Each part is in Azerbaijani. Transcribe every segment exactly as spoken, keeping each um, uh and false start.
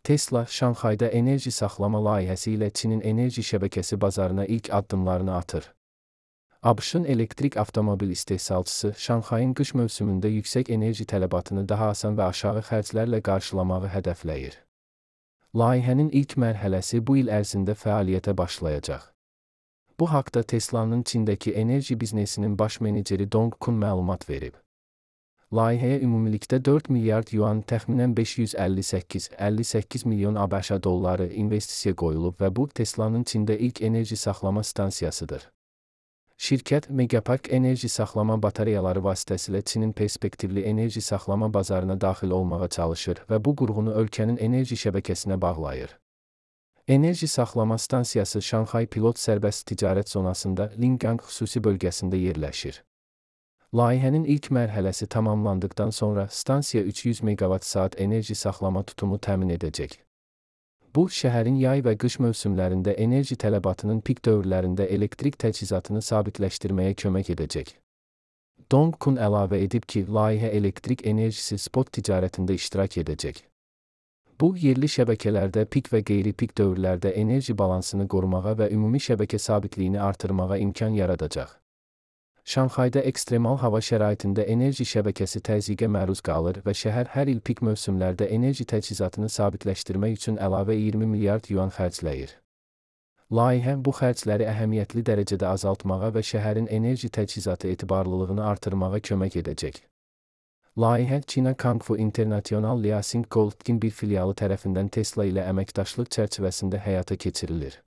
Tesla, Şanxayda enerji saxlama layihəsi ilə Çinin enerji şəbəkəsi bazarına ilk addımlarını atır. ABŞ-ın elektrik avtomobil istehsalçısı Şanxayın qış mövsümündə yüksək enerji tələbatını daha asan və aşağı xərclərlə qarşılamağı hədəfləyir. Layihənin ilk mərhələsi bu il ərzində fəaliyyətə başlayacaq. Bu haqda Tesla'nın Çindəki enerji biznesinin baş meneceri Dong Kun məlumat verib. Layihəyə ümumilikdə dörd milyard yuan, təxminən beş yüz əlli səkkiz əlli səkkiz milyon ABŞ dolları investisiya qoyulub və bu Tesla'nın Çində ilk enerji saxlama stansiyasıdır. Şirkət, Megapark enerji saxlama batareyaları vasitəsilə Çinin perspektivli enerji saxlama bazarına daxil olmağa çalışır və bu qurğunu ölkənin enerji şəbəkəsinə bağlayır. Enerji saxlama stansiyası Şanxay Pilot Sərbəst Ticarət Zonasında Lingang xüsusi bölgəsində yerləşir. Layihənin ilk mərhələsi tamamlandıqdan sonra stansiya üç yüz meqavat saat enerji saxlama tutumu təmin edəcək. Bu, şəhərin yay və qış mövsümlərində enerji tələbatının pik dövrlərində elektrik təchizatını sabitləşdirməyə kömək edəcək. Dong Kun əlavə edib ki, layihə elektrik enerjisi spot ticarətində iştirak edəcək. Bu, yerli şəbəkələrdə pik və qeyri-pik dövrlərdə enerji balansını qorumağa və ümumi şəbəkə sabitliyini artırmağa imkan yaradacaq. Şanxayda ekstremal hava şəraitində enerji şəbəkəsi təzyiqə məruz qalır və şəhər hər il pik mövsümlərdə enerji təchizatını sabitləşdirmək üçün əlavə iyirmi milyard yuan xərcləyir. Layihə bu xərcləri əhəmiyyətli dərəcədə azaltmağa və şəhərin enerji təchizatı etibarlılığını artırmağa kömək edəcək. Layihə China Kangfu International Liaoning Holding bir filialı tərəfindən Tesla ilə əməkdaşlıq çərçivəsində həyata keçirilir.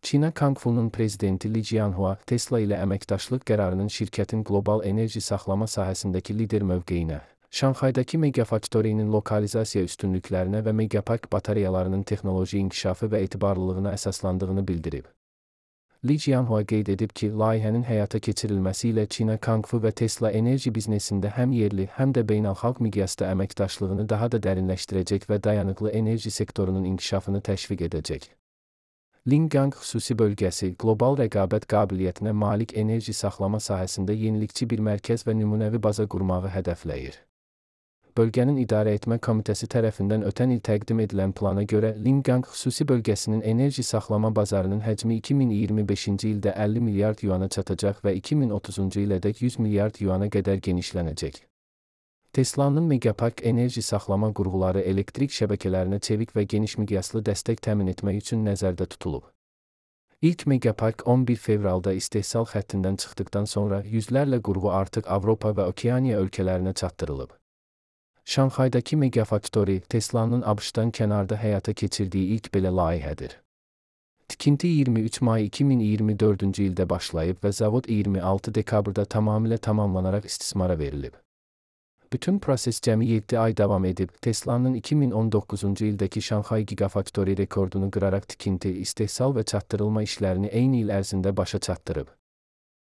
China Kangfu'nun prezidenti Li Jianhua, Tesla ilə əməkdaşlıq qərarının şirkətin qlobal enerji saxlama sahəsindəki lider mövqeyinə, Şanxaydakı Megafactory'nin lokalizasiya üstünlüklərinə və Megapark batareyalarının texnoloji inkişafı və etibarlılığına əsaslandığını bildirib. Li Jianhua qeyd edib ki, layihənin həyata keçirilməsi ilə China Kangfu və Tesla enerji biznesində həm yerli, həm də beynəlxalq miqyasda əməkdaşlığını daha da dərinləşdirəcək və dayanıqlı enerji sektorunun inkişafını təşviq edəcək. Lingang xüsusi bölgəsi, qlobal rəqabət qabiliyyətinə malik enerji saxlama sahəsində yenilikçi bir mərkəz və nümunəvi baza qurmağı hədəfləyir. Bölgənin İdarəetmə Komitəsi tərəfindən ötən il təqdim edilən plana görə, Lingang xüsusi bölgəsinin enerji saxlama bazarının həcmi iki min iyirmi beşinci ildə əlli milyard yuana çatacaq və iki min otuzuncu ilədək yüz milyard yuana qədər genişlənəcək. Tesla'nın Megapark enerji saxlama qurğuları elektrik şəbəkələrinə çevik və geniş miqyaslı dəstək təmin etmək üçün nəzərdə tutulub. İlk Megapark on bir fevralda istehsal xəttindən çıxdıqdan sonra yüzlərlə qurğu artıq Avropa və Okeaniya ölkələrinə çatdırılıb. Şanxaydakı Megafactory, Tesla'nın ABŞ-dan kənarda həyata keçirdiyi ilk belə layihədir. Tikinti iyirmi üç may iki min iyirmi dördüncü ildə başlayıb və zavod iyirmi altı dekabrda tamamilə tamamlanaraq istismara verilib. Bütün proses cəmi yeddi ay davam edib, Tesla'nın iki min on doqquzuncu ildəki Şanxay Gigafactory rekordunu qıraraq tikinti, istehsal və çatdırılma işlərini eyni il ərzində başa çatdırıb.